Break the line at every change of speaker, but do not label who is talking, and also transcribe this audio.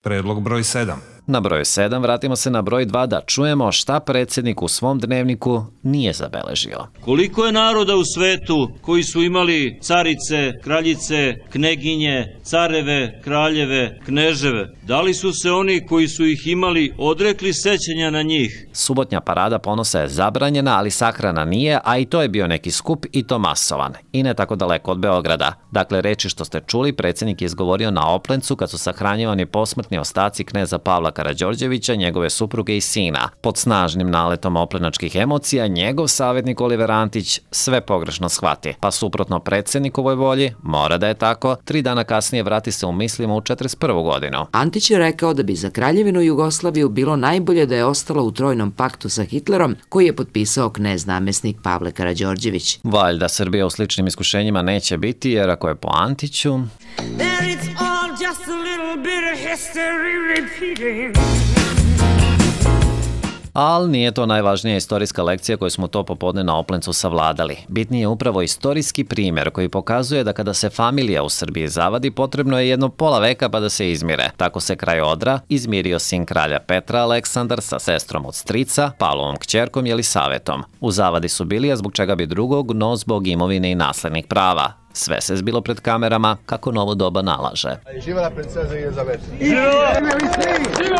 Predlog broj 7.
Na broj 7 vratimo se na broj 2 da čujemo šta predsjednik u svom dnevniku nije zabeležio.
Koliko je naroda u svetu koji su imali carice, kraljice, kneginje, careve, kraljeve, kneževe? Da li su se oni koji su ih imali odrekli sećanja na njih?
Subotnja parada ponosa je zabranjena, ali sahrana nije, a i to je bio neki skup i to masovan. I ne tako daleko od Beograda. Dakle, reči što ste čuli, predsjednik je izgovorio na Oplencu kad su sahranjivani posmrtni ostaci kneza Pavla Karađorđevića, njegove supruge i sina. Pod snažnim naletom oplenačkih emocija, njegov savjetnik Oliver Antić sve pogrešno shvati. Pa suprotno predsjednikovoj volji, mora da je tako, 3 dana kasnije vrati se u mislima u 41. godinu.
Antić je rekao da bi za Kraljevinu Jugoslaviju bilo najbolje da je ostalo u trojnom paktu sa Hitlerom, koji je potpisao knez namjesnik Pavle Karađorđević.
Valjda Srbija u sličnim iskušenjima neće biti, jer ako je po Antiću... Ali nije to najvažnija istorijska lekcija koju smo to popodne na Oplencu savladali. Bitniji je upravo istorijski primjer koji pokazuje da kada se familija u Srbiji zavadi, potrebno je jedno pola veka pa da se izmire. Tako se kraj Odra izmirio sin kralja Petra Aleksandar sa sestrom od strica, Pavlovom kćerkom Jelisavetom. U zavadi su bili, a zbog čega bi drugog, no zbog imovine i naslednih prava. Sve se zbilo pred kamerama kako novo doba nalaže.
Živela princeza Jelizaveta!
Živo! Živo!